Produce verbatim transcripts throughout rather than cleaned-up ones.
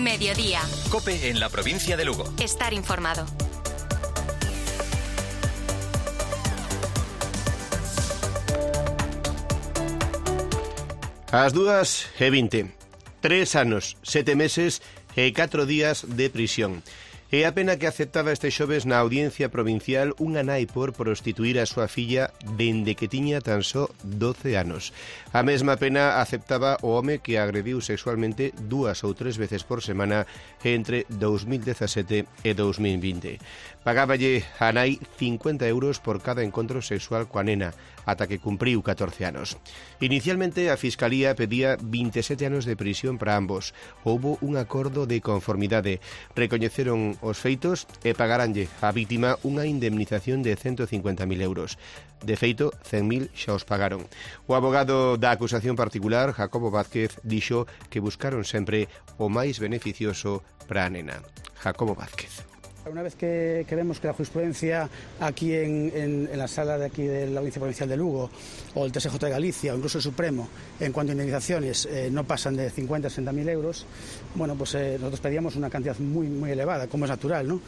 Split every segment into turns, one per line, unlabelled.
Mediodía.
COPE en la provincia de Lugo.
Estar informado.
As dúas e vinte. Tres anos, sete meses e catro días de prisión. E a pena que aceptaba este xoves na Audiencia Provincial unha nai por prostituir a súa filla dende que tiña tan só doce anos. A mesma pena aceptaba o home que agrediu sexualmente dúas ou tres veces por semana entre dous mil dezasete e dous mil vinte. Pagáballe a nai cincuenta euros por cada encontro sexual coa nena, ata que cumpriu catorce anos. Inicialmente a Fiscalía pedía vinte e sete anos de prisión para ambos. Houbo un acordo de conformidade. Recoñeceron os feitos e pagaranlle á vítima unha indemnización de ciento cincuenta mil euros. De feito, cen mil xa os pagaron. O abogado da acusación particular, Jacobo Vázquez, dixo que buscaron sempre o máis beneficioso para a nena. Jacobo Vázquez.
Una vez que, que vemos que la jurisprudencia aquí en, en, en la sala de aquí de la Audiencia Provincial de Lugo o el T S J de Galicia o incluso el Supremo en cuanto a indemnizaciones eh, no pasan de cincuenta a sesenta mil euros, bueno, pues eh, nosotros pedíamos una cantidad muy, muy elevada, como es natural, ¿no?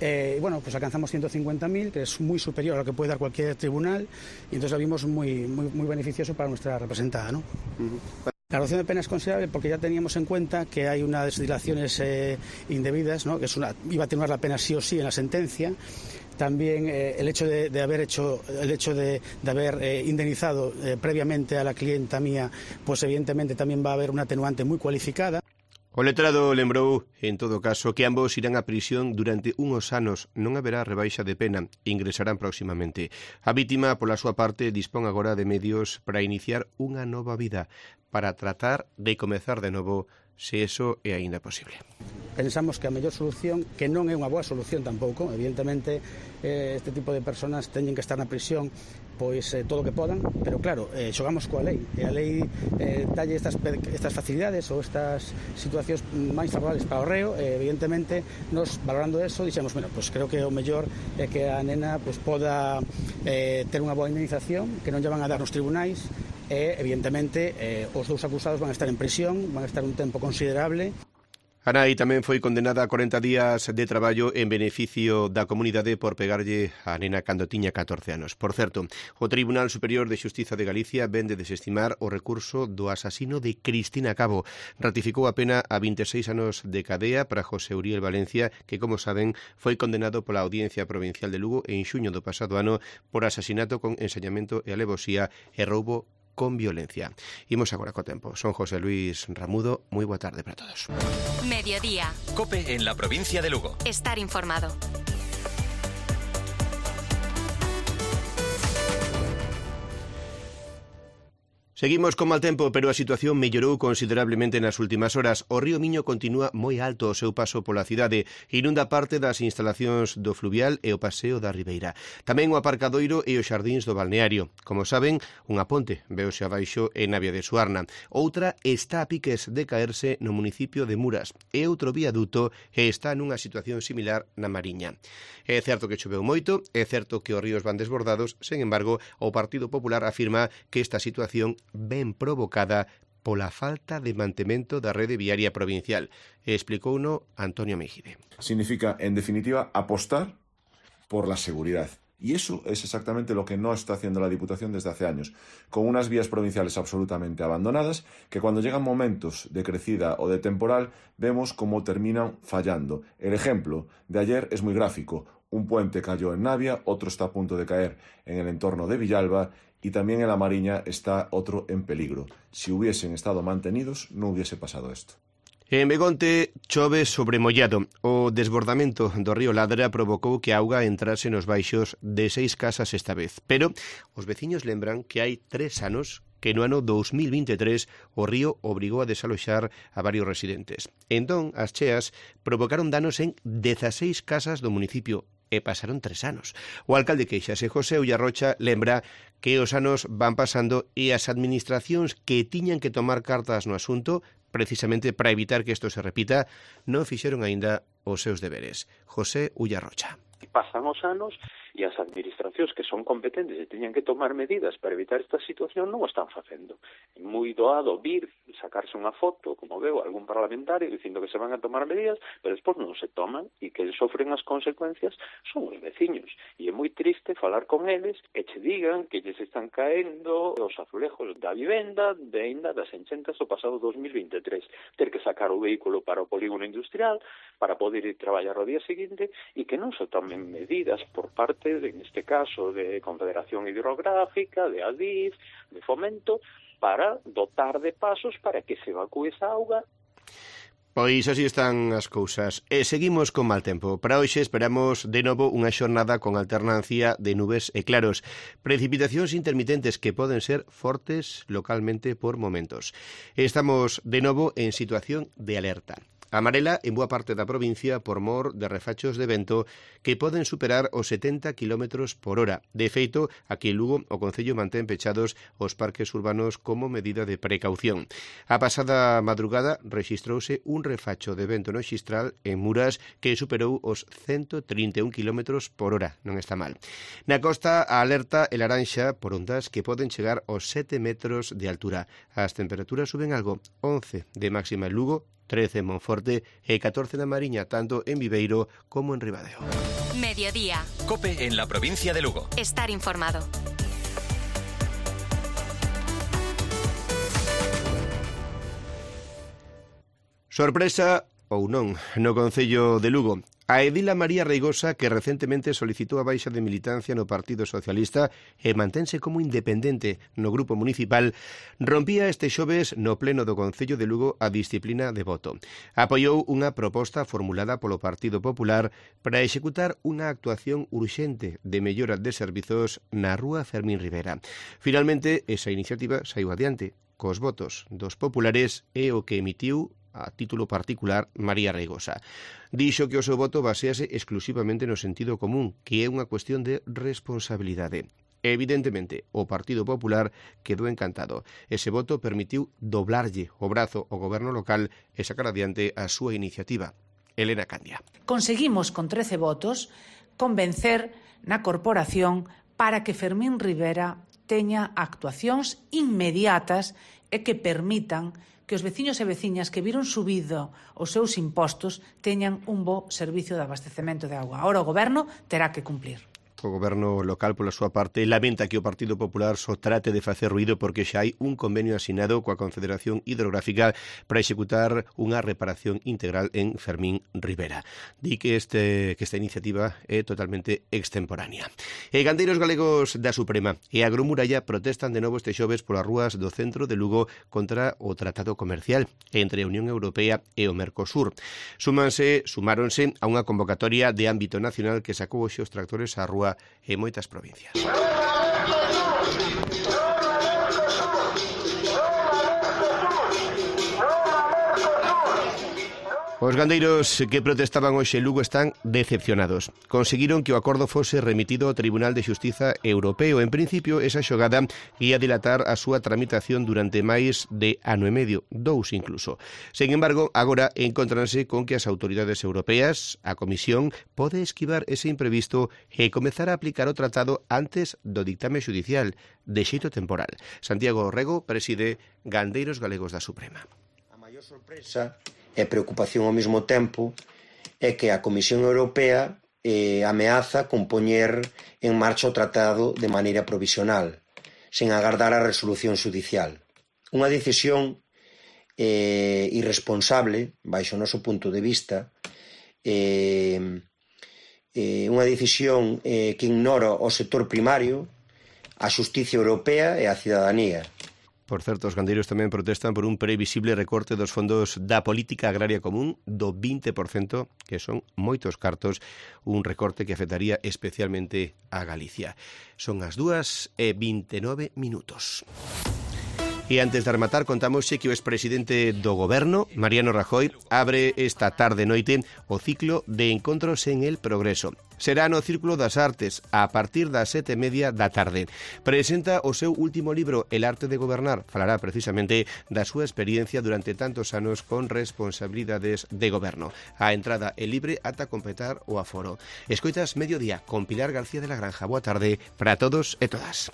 Eh, y bueno, pues alcanzamos ciento cincuenta mil, que es muy superior a lo que puede dar cualquier tribunal, y entonces lo vimos muy, muy, muy beneficioso para nuestra representada, ¿no? Uh-huh. La reducción de pena es considerable porque ya teníamos en cuenta que hay unas dilaciones eh, indebidas, ¿no? Que es una, iba a atenuar la pena sí o sí en la sentencia. También eh, el hecho de, de haber hecho, el hecho de, de haber eh, indemnizado eh, previamente a la clienta mía, pues evidentemente también va a haber una atenuante muy cualificada.
O letrado lembrou, en todo caso, que ambos irán a prisión durante unhos anos. Non haberá rebaixa de pena. Ingresarán próximamente. A vítima, pola súa parte, dispón agora de medios para iniciar unha nova vida, para tratar de comezar de novo, se eso é aínda posible.
Pensamos que a mellor solución, que non é unha boa solución tampouco, evidentemente eh, este tipo de personas teñen que estar na prisión pois eh, todo o que podan, pero claro, eh, xogamos coa lei, e a lei eh, dalle estas, estas facilidades ou estas situacións máis favorables para o reo, e evidentemente nos valorando eso, dixemos, bueno, pues creo que o mellor é que a nena pues, poda eh, ter unha boa indemnización, que non lle van a dar nos tribunais, e evidentemente eh, os dous acusados van a estar en prisión, van a estar un tempo considerable.
A nai tamén foi condenada a corenta días de traballo en beneficio da comunidade por pegarlle a nena cando tiña catorce anos. Por certo, o Tribunal Superior de Xustiza de Galicia vén de desestimar o recurso do asasino de Cristina Cabo. Ratificou a pena a vinte e seis anos de cadea para José Uriel Valencia, que, como saben, foi condenado pola Audiencia Provincial de Lugo en xuño do pasado ano por asasinato con ensañamento e alevosía e roubo con violencia. Imos agora co tempo. Son José Luis Ramudo. Moi boa tarde para todos.
Mediodía.
COPE en la provincia de Lugo.
Estar informado.
Seguimos con mal tempo, pero a situación mellorou considerablemente nas últimas horas. O río Miño continúa moi alto o seu paso pola cidade, inunda parte das instalacións do fluvial e o paseo da Ribeira. Tamén o aparcadoiro e os xardíns do balneario. Como saben, unha ponte veose abaixo en Navia de Suarna. Outra está a piques de caerse no municipio de Muras e outro viaduto está nunha situación similar na Mariña. É certo que choveu moito, é certo que os ríos van desbordados, sen embargo, o Partido Popular afirma que esta situación ben provocada pola falta de mantemento da rede viaria provincial. Explicouno Antonio Mejide.
Significa, en definitiva, apostar por la seguridad. Y eso es exactamente lo que no está haciendo la Diputación desde hace años, con unas vías provinciales absolutamente abandonadas, que cuando llegan momentos de crecida o de temporal, vemos cómo terminan fallando. El ejemplo de ayer es muy gráfico. Un puente cayó en Navia, otro está a punto de caer en el entorno de Villalba, y también en la Mariña está otro en peligro. Si hubiesen estado mantenidos, no hubiese pasado esto.
En Begonte chove sobremollado. O desbordamento do río Ladra provocou que a auga entrase nos baixos de seis casas esta vez. Pero os veciños lembran que hai tres anos que no ano dous mil vinte e tres o río obrigou a desaloxar a varios residentes. Entón, as cheas provocaron danos en dezaseis casas do municipio. E pasaron tres anos. O alcalde queixase, José Ullarrocha, lembra que os anos van pasando e as administracións que tiñan que tomar cartas no asunto, precisamente para evitar que isto se repita, non fixeron aínda os seus deberes. José Ullarrocha.
Pasan os anos e as administracións que son competentes e teñan que tomar medidas para evitar esta situación non o están facendo. É moi doado vir, sacarse unha foto, como veo algún parlamentario dicindo que se van a tomar medidas, pero despois non se toman e que sofren as consecuencias son os veciños. E é moi triste falar con eles e che digan que lles están caendo os azulejos da vivenda de ainda das enchentas do pasado dos mil veintitrés. Ter que sacar o vehículo para o polígono industrial para poder ir traballar o día seguinte e que non se tomen medidas por parte, de, en este caso, de Confederación Hidrográfica, de Adif, de Fomento, para dotar de pasos para que se evacúe esa auga.
Pois así están as cousas. E seguimos con mal tempo. Para hoxe esperamos de novo unha xornada con alternancia de nubes e claros. Precipitacións intermitentes que poden ser fortes localmente por momentos. Estamos de novo en situación de alerta. Amarela en boa parte da provincia por mor de refachos de vento que poden superar os setenta kilómetros por hora. De feito, aquí en Lugo o Concello mantén pechados os parques urbanos como medida de precaución. A pasada madrugada rexistrouse un refacho de vento no Xistral en Muras que superou os ciento trinta e un kilómetros por hora. Non está mal. Na costa, a alerta e laranxa por ondas que poden chegar aos sete metros de altura. As temperaturas suben algo, once de máxima en Lugo, trece en Monforte e catorce na Mariña, tanto en Viveiro como en Ribadeo.
Mediodía.
COPE en la provincia de Lugo.
Estar informado.
Sorpresa ou non no Concello de Lugo. A edila María Reigosa, que recentemente solicitou a baixa de militancia no Partido Socialista e mantense como independente no grupo municipal, rompía este xoves no pleno do Concello de Lugo a disciplina de voto. Apoiou unha proposta formulada polo Partido Popular para executar unha actuación urxente de mellora de servizos na rúa Fermín Rivera. Finalmente, esa iniciativa saiu adiante cos votos dos populares e o que emitiu a título particular María Reigosa. Dixo que o seu voto basease exclusivamente no sentido común, que é unha cuestión de responsabilidade. Evidentemente, o Partido Popular quedou encantado. Ese voto permitiu doblarlle o brazo ao goberno local e sacar adiante a súa iniciativa. Elena Candia.
Conseguimos con trece votos convencer na corporación para que Fermín Rivera teña actuacións inmediatas e que permitan que os veciños e veciñas que viron subido os seus impostos teñan un bo servicio de abastecemento de auga. Ahora o goberno terá que cumplir.
O goberno local, pola súa parte, lamenta que o Partido Popular só trate de facer ruído porque xa hai un convenio asinado coa Confederación Hidrográfica para executar unha reparación integral en Fermín Rivera. Di que, este, que esta iniciativa é totalmente extemporánea. E gandeiros galegos da Suprema e Agromuralla protestan de novo este xoves polas rúas do centro de Lugo contra o tratado comercial entre a Unión Europea e o Mercosur. Súmanse, sumáronse a unha convocatoria de ámbito nacional que sacou hoxe os tractores á rúa en moitas provincias. Os gandeiros que protestaban hoxe en Lugo están decepcionados. Conseguiron que o acordo fose remitido ao Tribunal de Xustiza Europeo. En principio, esa xogada ia dilatar a súa tramitación durante máis de ano e medio, dous incluso. Sen embargo, agora encontranse con que as autoridades europeas, a Comisión, pode esquivar ese imprevisto e comezar a aplicar o tratado antes do dictame xudicial, de xeito temporal. Santiago Rego preside Gandeiros Galegos da Suprema.
A maior sorpresa e preocupación ao mesmo tempo é que a Comisión Europea eh, ameaza con poñer en marcha o tratado de maneira provisional, sen agardar a resolución xudicial. Unha decisión eh, irresponsable, baixo o noso punto de vista, eh, eh, unha decisión eh, que ignora o sector primario, a xustiza europea e a cidadanía.
Por certo, os gandeiros tamén protestan por un previsible recorte dos fondos da política agraria común do vinte por cento, que son moitos cartos, un recorte que afectaría especialmente a Galicia. Son as dúas e vinte e nove minutos. E antes de rematar, contámosxe que o expresidente do Goberno, Mariano Rajoy, abre esta tarde noite o ciclo de encontros en el Progreso. será no Círculo das Artes, a partir das sete e media da tarde. Presenta o seu último libro, El arte de gobernar. Falará precisamente da súa experiencia durante tantos anos con responsabilidades de goberno. A entrada é libre ata completar o aforo. Escoitas Mediodía con Pilar García de la Granja. Boa tarde para todos e todas.